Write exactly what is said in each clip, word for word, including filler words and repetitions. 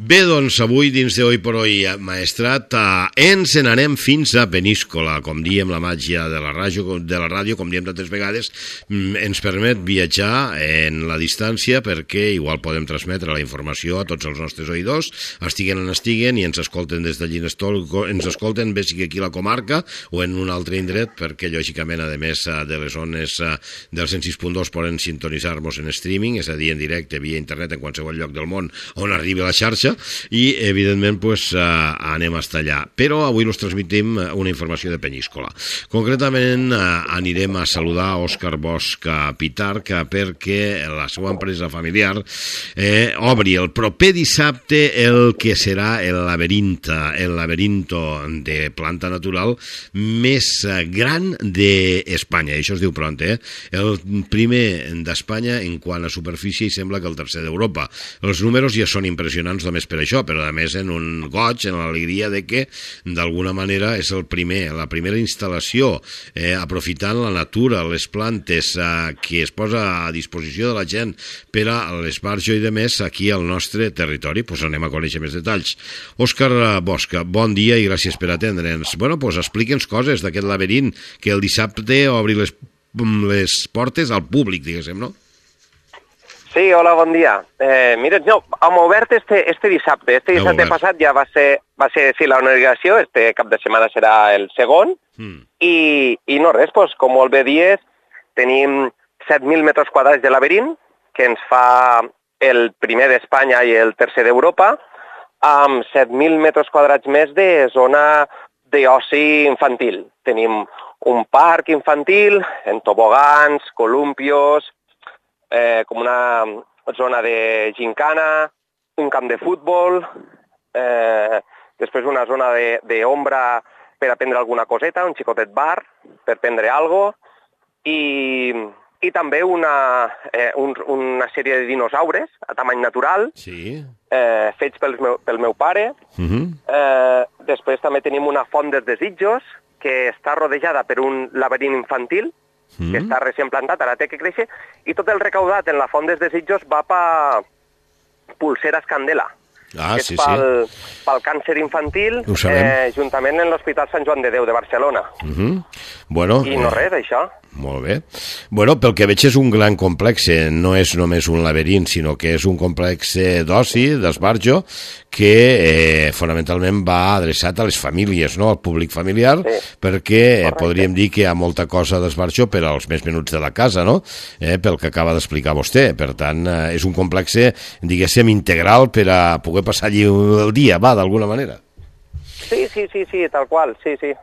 Bé, doncs avui dins de Hoy por Hoy, Maestrat, eh, ens n'anem fins a Peníscola. Com diem, la màgia de la ràdio, de la ràdio, com diem tantes vegades, ens permet viatjar en la distància perquè igual podem transmetre la informació a tots els nostres oïdors, estiguen on estiguen i ens escolten des de Llinestol, ens escolten bé sigui aquí a la comarca o en un altre indret, perquè lògicament, a més de les zones del cent sis punt dos poden sintonitzar-nos en streaming, és a dir, en directe via internet en qualsevol lloc del món on arribi la xarxa, i evidentment pues, uh, anem hasta allà, però avui us transmitim una informació de Peníscola. Concretament uh, anirem a saludar Òscar Bosch Pitarch perquè la seva empresa familiar eh, obri el proper dissabte el que serà el laberinto, el laberinto de planta natural més gran d'Espanya, això es diu pront, eh? El primer d'Espanya en quant a superfície i sembla que el tercer d'Europa. Els números ja són impressionants només per això, però a més en un goig, en l'alegria de que d'alguna manera és el primer, la primera instal·lació eh, aprofitant la natura, les plantes eh, que es posa a disposició de la gent per a l'esbarjo i de més aquí al nostre territori. Pues anem a conèixer més detalls. Òscar Bosch, bon dia i gràcies per atendre'ns. Bueno, pues explica'ns coses d'aquest laberint que el dissabte obri les, les portes al públic, diguéssim, no? Sí, hola, bon dia. Eh, mira, no, hem obert este, este dissabte. Este dissabte passat ja va ser, va ser sí, la inauguració, este cap de setmana serà el segon, mm. i, i no res, pues, com molt bé dies, tenim set mil metres quadrats de laberint, que ens fa el primer d'Espanya i el tercer d'Europa, amb set mil metres quadrats més de zona d'oci infantil. Tenim un parc infantil, en tobogans, columpios, Eh, com una zona de gincana, un camp de futbol, eh, després una zona d'ombra per a prendre alguna coseta, un xicotet bar per prendre alguna cosa, i, i també una, eh, un, una sèrie de dinosaures a tamany natural, sí. eh, fets pel meu, pel meu pare. Uh-huh. eh, després també tenim una font dels desitjos, que està rodejada per un laberint infantil, Mm. que està recient plantat, ara té que créixer, i tot el recaudat en la font dels desitjos va per Pulseres Candela, ah, que sí, és pel, sí. pel càncer infantil, eh, juntament amb l'Hospital Sant Joan de Déu de Barcelona. Uh-huh. Bueno, I no eh... res, això. Molt bé. Bueno, pel que veig és un gran complex, no és només un laberint, sinó que és un complex d'oci, d'esbarjo, que eh, fonamentalment va adreçat a les famílies, no? Al públic familiar, sí. perquè eh, podríem dir que hi ha molta cosa d'esbarjo per als més menuts de la casa, no? Eh, pel que acaba d'explicar vostè. Per tant, eh, és un complex, diguéssim, integral per a poder passar allí el dia, va, d'alguna manera. Sí, sí, sí, sí, tal qual, sí, sí.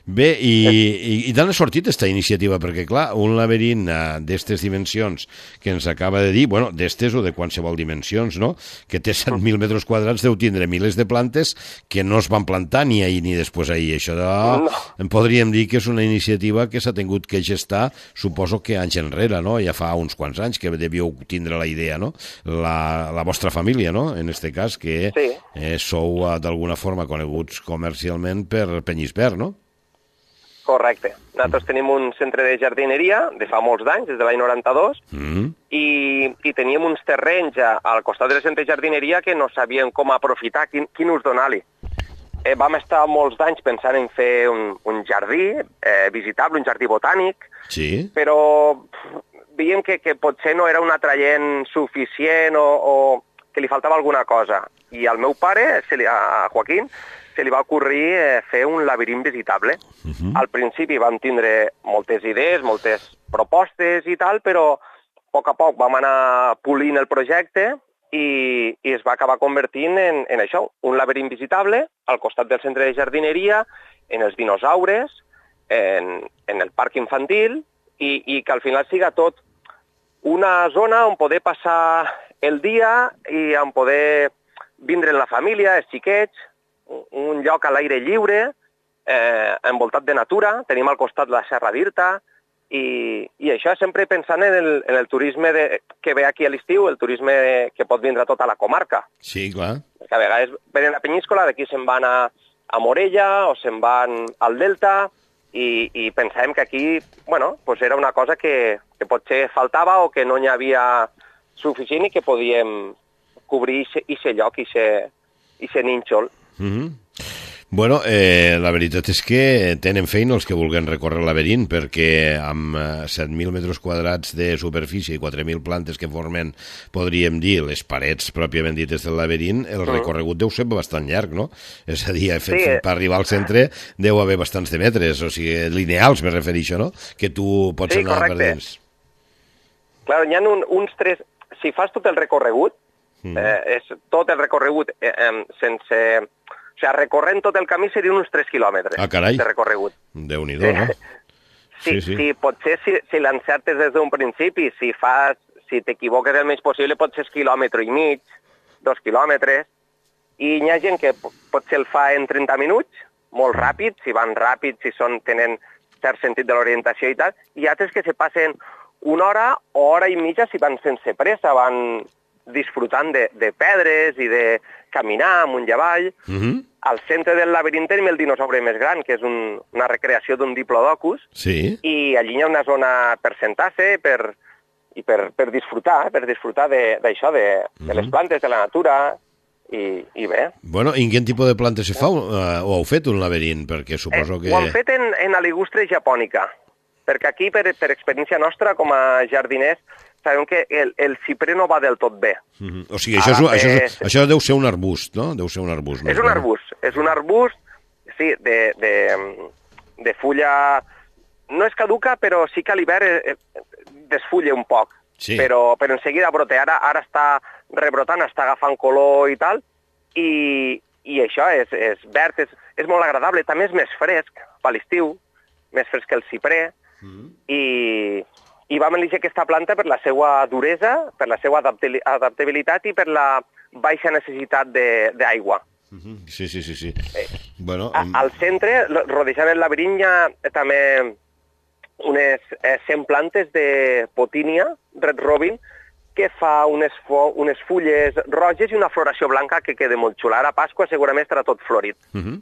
Bé, i, i, i d'on ha sortit aquesta iniciativa? Perquè, clar, un laberint uh, d'estes dimensions que ens acaba de dir, bueno, d'estes o de qualsevol dimensions, no?, que té set mil metres quadrats, deu tindre milers de plantes que no es van plantar ni ahir ni després ahir. Això de, no. podríem dir que és una iniciativa que s'ha tingut que gestar, suposo que anys enrere, no?, ja fa uns quants anys que devíeu tindre la idea, no?, la, la vostra família, no?, en este cas, que sí. eh, sou uh, d'alguna forma coneguts comercialment per Penyisbert, no? Correcte. Nosaltres tenim un centre de jardineria de fa molts d'anys, des de l'any noranta-dos, mm. i, i teníem uns terrenys al costat del centre de jardineria que no sabíem com aprofitar, quin, quin ús donar-li. Eh, vam estar molts d'anys pensant en fer un, un jardí eh, visitable, un jardí botànic, sí. però pff, veiem que, que potser no era un atraient suficient o, o que li faltava alguna cosa. I al meu pare, a Joaquín, se li va ocorrir eh, fer un laberint visitable. Uh-huh. Al principi vam tindre moltes idees, moltes propostes i tal, però a poc a poc vam anar polint el projecte i, i es va acabar convertint en, en això, un laberint visitable al costat del centre de jardineria, en els dinosaures, en, en el parc infantil, i, i que al final siga tot una zona on poder passar el dia i on poder vindre en la família, els xiquets, un lloc a l'aire lliure, eh, envoltat de natura, tenim al costat la Serra d'Irta, i, i això sempre pensant en el, en el turisme de, que ve aquí a l'estiu, el turisme que pot vindre a tota la comarca. Sí, clar. Perquè a vegades venen a Penyíscola, d'aquí se'n van a, a Morella o se'n van al Delta, i, i pensàvem que aquí, bueno, pues era una cosa que, que potser faltava o que no n'hi havia suficient i que podíem cobrir aquest lloc, aquest nínxol. Mm-hmm. Bueno, eh, la veritat és que tenen feina els que vulguin recórrer el laberint, perquè amb set mil metres quadrats de superfície i quatre mil plantes que formen, podríem dir, les parets pròpiament dites del laberint, el recorregut deu ser bastant llarg, no? És a dir, fet, sí. per arribar al centre deu haver bastants de metres, o sigui, lineals me refereixo, no? Que tu pots sí, anar correcte. per dins. Clar, hi ha un, uns tres... Si fas tot el recorregut, mm. eh, és tot el recorregut eh, eh, sense... O sigui, recorrent tot el camí serien uns tres quilòmetres ah, carai. de recorregut. Déu-n'hi-do, no? Sí, sí, sí. sí potser si, si l'encertes des d'un principi, si fas, si t'equivoques el més possible, pot ser quilòmetre i mig, dos quilòmetres, i hi ha gent que potser el fa en trenta minuts, molt ràpid, si van ràpid, si són, tenen cert sentit de l'orientació i tal, i altres que se passen una hora o hora i mitja si van sense pressa, van disfrutant de, de pedres i de caminar amunt i avall. Mm-hmm. Al centre del laberint tenim el dinosaure més gran, que és un, una recreació d'un diplodocus, sí. i allí hi ha una zona per sentar-se per, i per, per disfrutar, per disfrutar d'això, de, de, mm-hmm. de les plantes, de la natura, i, i bé. Bueno, i en quin tipus de plantes se fa? Uh, o heu fet un laberint? Perquè suposo que... Eh, ho hem fet en, en aligustre japònica, perquè aquí, per, per experiència nostra, com a jardiners, sabem que el, el ciprer no va del tot bé. Mm-hmm. O sigui, això, és, això, és, això deu ser un arbust, no? Deu ser un arbust. És un arbust, és un arbust, sí, de, de, de fulla... No és caduca, però sí que a l'hivern desfulla un poc. Sí. Però, però en seguida brote. Ara, ara està rebrotant, està agafant color i tal, i, i això és, és verd, és, és molt agradable. També és més fresc per l'estiu, més fresc que el ciprer, mm-hmm. i... I vam elegir aquesta planta per la seva duresa, per la seva adaptabilitat i per la baixa necessitat d'aigua. Sí, sí, sí. sí. Eh, bueno, a, al centre, rodejant el laberint, hi ha també unes eh, cent plantes de potínia, Red Robin, que fa unes, unes fulles roges i una floració blanca que queda molt xula. Ara a Pasqua segurament estarà tot florit. Uh -huh.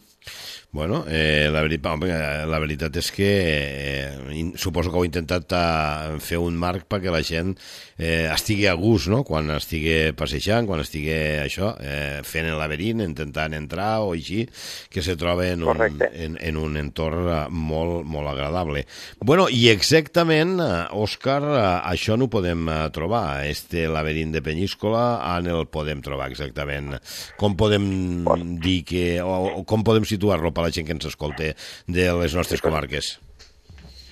Bueno, eh, la, veritat, home, la veritat és que eh, suposo que heu intentat a, fer un marc perquè la gent eh, estigui a gust, no?, quan estigui passejant, quan estigui això, eh, fent el laberint, intentant entrar o així, que se troba en un, en, en un entorn molt, molt agradable. Bueno, i exactament, Òscar, això no ho podem trobar, este laberint de Penyíscola, on el podem trobar exactament? Com podem dir que, o, o com podem situar-lo per la gent que ens escolta de les nostres comarques?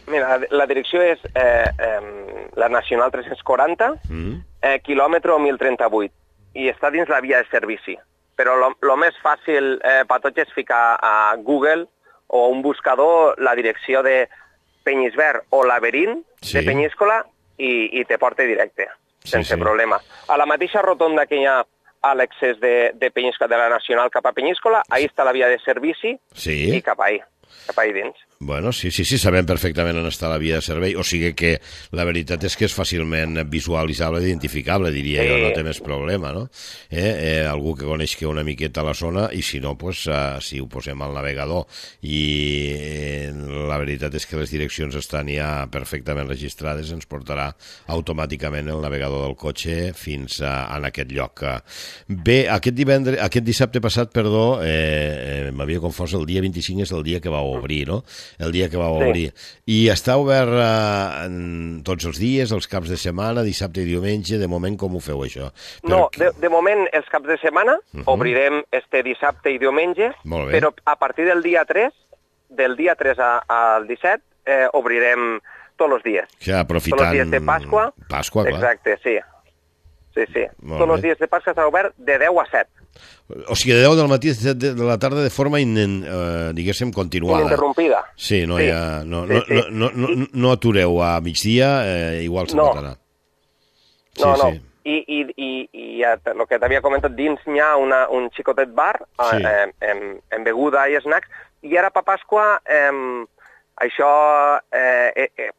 Mira, la direcció és eh, eh, la Nacional tres-cents quaranta, mm. eh, quilòmetre mil trenta-vuit, i està dins la via de servici. Però el més fàcil eh, per tots és ficar a Google o un buscador la direcció de Penyisvern o laberint sí. de Penyíscola i, i te porta directe, sense sí, sí. problema. A la mateixa rotonda que hi ha a l'accés de, de Penyíscola, de la Nacional cap a Penyíscola, ahí està la via de servici sí. i cap ahí, cap ahí dins. Bueno, sí, sí, sí, sabem perfectament on està la via de servei, o sigui que la veritat és que és fàcilment visualitzable i identificable, diria sí. jo, no té més problema, no? Eh, eh, algú que coneixi una miqueta la zona, i si no, pues, uh, si ho posem al navegador, i eh, la veritat és que les direccions estan ja perfectament registrades, ens portarà automàticament el navegador del cotxe fins a, a aquest lloc. Bé, aquest divendres, aquest dissabte passat, perdó, eh, eh, m'havia confós, el dia vint-i-cinc és el dia que va obrir, no?, el dia que va obrir. Sí. I està obert eh, en tots els dies, els caps de setmana, dissabte i diumenge, de moment com ho feu això? No, Perquè... de, de moment els caps de setmana uh -huh. obrirem este dissabte i diumenge, però a partir del dia tres, del dia tres a, al disset, eh, obrirem tots els dies. Ja, aprofitant... Tots els dies de Pasqua. Pasqua, clar. Exacte, sí. Sí, sí. Molt tots bé. Els dies de Pasqua està obert de deu a set. O sigui, de deu del matí a set de la tarda de forma, in, eh, diguéssim, continuada. Ininterrompida. Sí, no, sí. Ja, no, sí, sí. no, no, no, no, no atureu a migdia, eh, igual se no. matarà. Sí, no, no. Sí. I, i, i, i el que t'havia comentat, dins hi ha una, un xicotet bar sí. eh, en, en beguda i snacks, i ara per Pasqua eh, això eh, eh, eh,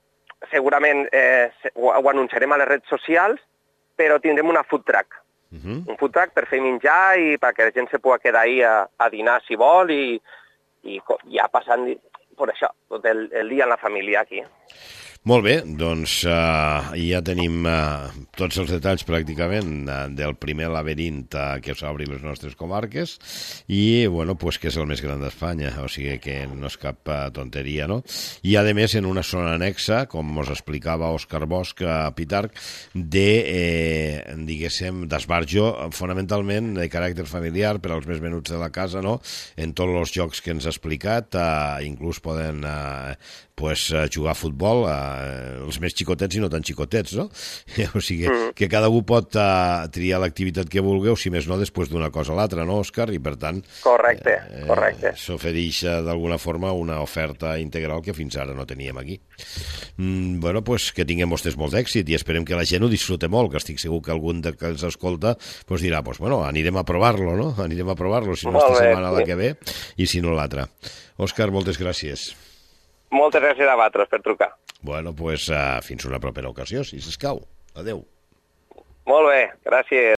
segurament eh, ho, ho anunciarem a les redes socials, però tindrem una food truck. Uh-huh. Un food truck per fer menjar i perquè la gent se pugui quedar ahí a, a dinar si vol i, i ja passant per això, tot el, el dia en la família aquí. Molt bé, doncs uh, ja tenim uh, tots els detalls pràcticament uh, del primer laberint uh, que s'obri les nostres comarques i, bueno, pues que és el més gran d'Espanya, o sigui que no és cap uh, tonteria, no? I, a més, en una zona anexa, com us explicava Òscar Bosch a Pitarc, de, eh, diguéssim, d'esbarjo fonamentalment de caràcter familiar per als més menuts de la casa, no? En tots els jocs que ens ha explicat, uh, inclús poden uh, pues, uh, jugar a futbol, uh, els més xicotets i no tan xicotets, no? O sigui, mm. que cada un pot uh, triar l'activitat que vulgui, o si més no, després d'una cosa a l'altra, no, Òscar? I, per tant, correcte, eh, correcte. s'ofereix uh, d'alguna forma una oferta integral que fins ara no teníem aquí. Mm, bueno, pues que tinguem vostès molt d'èxit i esperem que la gent ho disfrute molt, que estic segur que algun de que els escolta pues dirà, pues bueno, anirem a provar-lo, no? Anirem a provar-lo, si no esta setmana la que ve i si no l'altra. Òscar, moltes gràcies. Moltes gràcies a vosaltres per trucar. Bueno, doncs pues, uh, fins una propera ocasió, si s'escau. Adéu. Molt bé, gràcies.